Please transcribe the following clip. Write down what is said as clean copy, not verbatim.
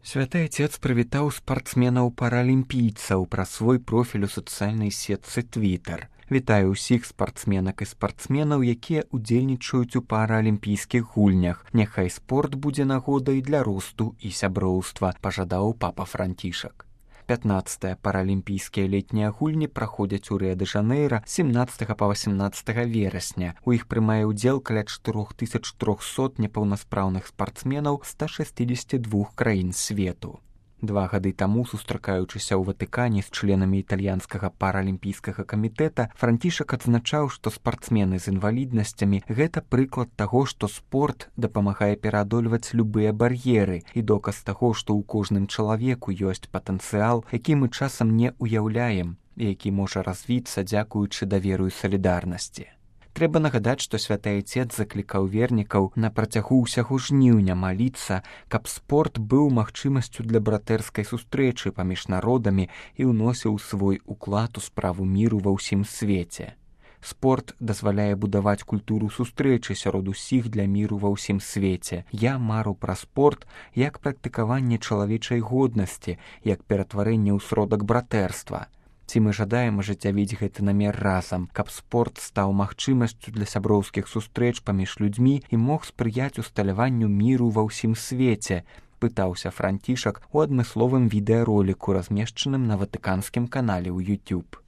Святы Отец прывітаў спартсменаў-паралімпійцаў праз свой профіль у сацыяльнай сетцы Twitter. Вітаю ўсіх спартсменак і спартсменаў, якія ўдзельнічаюць у паралімпійскіх гульнях. Няхай спорт будзе нагодай для росту і сяброўства, пажадаў папа Францішак. 15-е паралімпійскія летнія гульні праходзяць у Рыа-дэ-Жанэйра 17 па 18 верасня. У іх прымае ўдзел каля 4300 непаўнаспраўных спартсменаў 162 краін свету. 2 гады таму, сустракаючыся ў Ватыкане з членамі італьянскага паралімпійскага камітэта, Францішак адзначаў, што спартсмены з інваліднасцямі – гэта прыклад таго, што спорт дапамагае пераадольваць любыя бар'еры і доказ таго, што ў кожным чалавеку ёсць патэнцыял, які мы часам не ўяўляем і які можа развіцца дзякуючы даверу і салідарнасці. Трэба нагадаць, што Святы Отец заклікаў вернікаў на працягу ўсяго жніўня маліцца, каб спорт быў магчымасцю для братэрскай сустрэчы паміж народамі і ўносіў свой уклад у справу міру ва ўсім свеце. Спорт дазваляе будаваць культуру сустрэчы сярод усіх для міру ва ўсім свеце. Я мару пра спорт як практыкаванне чалавечай годнасці, як ператварэнне ў сродак братэрства. Ці мы жадаем ажыццявіць гэты намер разам, каб спорт стаў магчымасцю для сяброўскіх сустрэч паміж людзьмі і мог спрыяць усталяванню міру ва ўсім свеце, пытаўся Францішак у адмысловым відэароліку, размешчаным на ватыканскім канале ў YouTube.